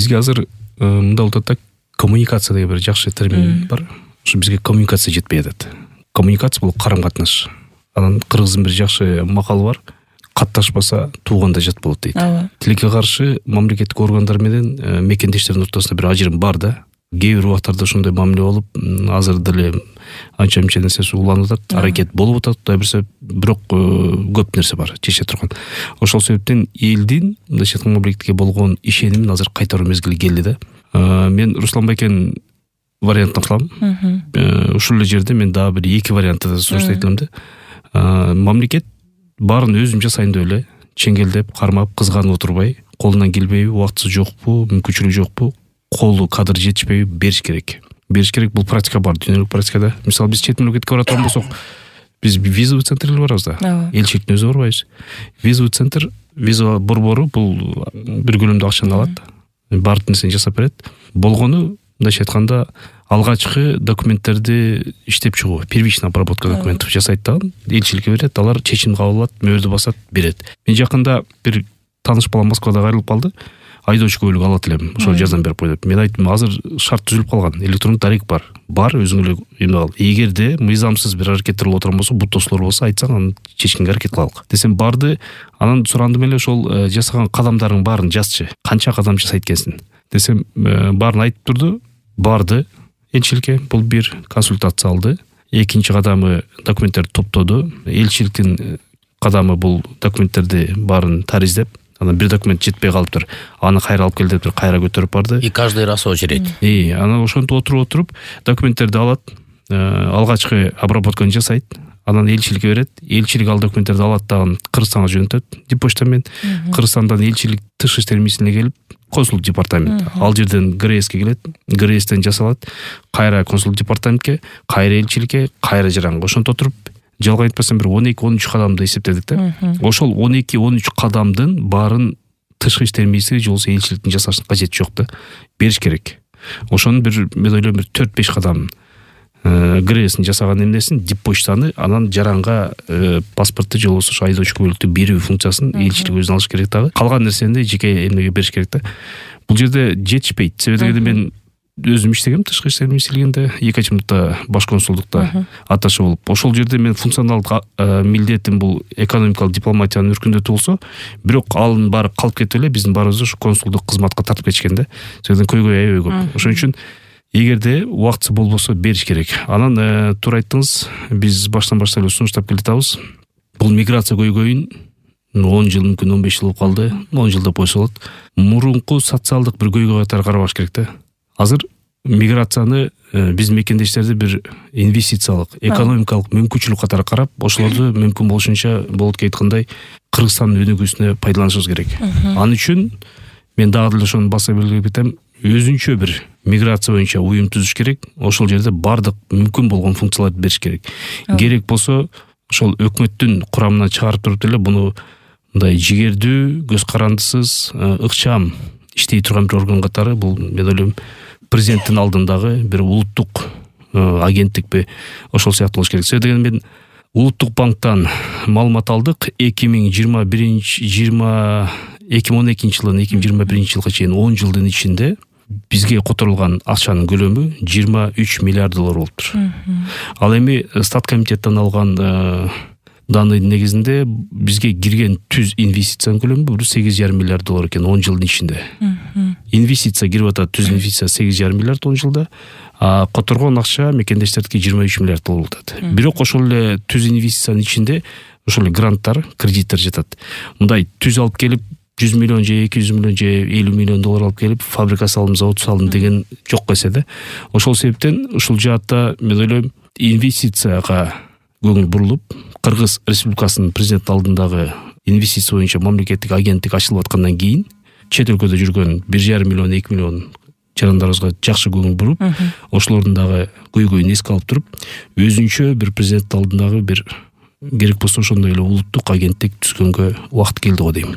Бизге азыр мындай болуп атат, коммуникация деген бир жакшы термин бар. Ошо бизге коммуникация жетпей атат. Коммуникация бул карам-катнаш. Анан кыргыздын бир жакшы макалы бар. Катташпаса тууганда жат болот дейт. Тилекке каршы мамлекеттик органдар менен мекендештердин ортосунда бир ажырым бар да. Кээ бир убактарда ошондой мамиле болуп, азыр деле анча-мынча нерсеси уланып атат, аракет болуп атат, Кудай берсе, бирок көп нерсе бар чече турган. Ошол себептен элдин мындайча айтканда мамлекетке болгон ишенимин азыр кайтаруу мезгили келди да. Мен Руслан Байкенин вариантын кылам. Ушул эле жерде мен дагы бир эки вариантты сунуштайт элем да. Мамлекет баарын өзүм жасайын деп эле чеңгелдеп, кармап, кызганып отурбай, колунан келбейби, убактысы жокпу, мүмкүнчүлүгү жокпу, колу кадыр жетишпейби бериш керек. Бериш керек, бул практика бар, дүйнөлүк практикада. Мисалы биз чет мамлекетке бара турган болсок, биз визовый центрлер барабыз да. Элчиликтин өзү барбайбыз. Визовый центр, виза борбору бул бир көлөмдө акчаны алат, баардык нерсени жасап берет. Болгону, мындайча айтканда, алгачкы документтерди иштеп чыгуу, первичная обработка документов жасайт да, элчиликке берет, алар чечим кабыл алат, мөөрдү басат, берет. Мен жакында бир тааныш балам Москвада кайрылып калды. Айдоочу көлүк алат элем, ошо жазам берип кой деп. Мен айттым, азыр шарт түзүлүп калган, электрондук дарек бар. Бар, өзүң эле эме ал. Эгерде мыйзамсыз бир аракеттер болуп отурган болсо, бут тосулар болсо айтсаң, аны чечкенге аракет кылалык. Десем барды, анан сурандым эле, ошол жасаган кадамдарың баарын жазчы. Канча кадам жасайт экенсиң? Десем, баарын айтып турду. Барды элчиликке, бул бир консультация алды. Экинчи кадамы документтерди топтоду. Элчиликтин кадамы бул документтерди баарын тариздеп, анан бир документ жетпей калыптыр. Аны кайра алып кел деп кайра көтөрүп барды. И каждый раз очередь. Анан ошентип отуруп документтерди алат, алгачкы обработканы жасайт, анан элчиликке берет. Элчилик ал документтерди алат да Кыргызстанга жөнөтөт диппочта менен. Кыргызстандан элчилик тышкы иштер министрлигине келип, консулдук департамент. Ал жерден ГРСке келет, ГРСтен жасалат, кайра консулдук департаментке, кайра элчиликке, кайра жаранга. Ошентип отуруп жалган айтпасам бир 12-13 кадамды эсептедик да. Ошол 12-13 кадамдын баарын тышкы иштер министрлиги же болбосо элчиликтин жасашынын кажети жок да. Бериш керек. Ошонун бир мен ойлойм бир 4-5 кадам ГРСин жасаган эмнесин, диппочтаны, анан жаранга паспортты же болбосо ошо айдоочу көлүктү берүү функциясын элчилик өзүнө алыш керек дагы. Калган нерсени жеке эмнеге бериш керек да. Бул жерде жетишпейт. Себеби мен өзүм иштегем тышкы иштер министрлигинде, Екатеринбургда баш консулдукта аташы болуп. Ошол жерде мен функционалдык милдетим бул экономикалык дипломатиянын өркүндөтүү болсо, бирок алын баары калып кетип эле биздин баарыбызды ушу консулдук кызматка тартып кетишкен да. Себеби көйгөй аябай көп. Ошон үчүн эгерде убактысы болбосо бериш керек. Анан туура айттыңыз, биз баштан баштап эле сунуштап келатабыз. Бул миграция көйгөйүн 10 жыл, мүмкүн 15 жыл болуп калды, 10 жылда койсо болот. Мурунку социалдык бир көйгөй катары карабаш керек да. Азыр миграцияны биз мекендештерди бир инвестициялык, экономикалык мүмкүнчүлүк катары карап, ошолорду мүмкүн болушунча болот айткандай Кыргызстандын өнүгүүсүнө пайдаланышыбыз керек. Ал үчүн мен дагы деле ошону баса белгилеп кетем, өзүнчө бир миграция боюнча уюм түзүш керек. Ошол жерде бардык мүмкүн болгон функцияларды бериш керек. Керек болсо ошол өкмөттүн курамынан чыгарып туруп эле буну мындай жигердүү, көз карандысыз, ыкчам иштей турган бир орган катары, бул мен ойлойм президенттин алдындагы бир улуттук агенттикпи, ошол сыяктуу болуш керек. Себеби деген мен Улуттук банктан маалымат алдык. 2012 жылдан 2021 жылга чейин 10 жылдын ичинде бизге которулган акчанын көлөмү 23 миллиард доллар болуптур. Ал эми Стат комитеттен алган данын негизинде бизге кирген түз инвестициянын көлөмү 8,5 миллиард доллар экен 10 жылдын ичинде. Инвестиция кирип атат, түз инвестиция 8,5 миллиард 10 жылда, а которгон акча мекендештердики 23 миллиард доллар болот. Бирок ошол эле түз инвестициянын ичинде ошол эле гранттар, кредиттер жатат. Мындай түз алып келип 100 миллион же 200 миллион же 50 миллион доллар алып келип фабрика салдым, завод салдым деген жок эседе. Ошол себептен ушул жаатта мен ойлойм инвестицияга көңүл бурулуп, Кыргыз Республикасынын президент алдындагы инвестиция боюнча мамлекеттик агенттик ачылып аткандан кийин чет өлкөдө жүргөн 1,5 миллион 2 миллион жарандарыбызга жакшы көңүл буруп, ошолордун дагы көйгөйүн эске алып туруп, өзүнчө бир президент алдындагы бир керек болсо ошондой эле улуттук агенттик түзгөнгө убакыт келди го дейм.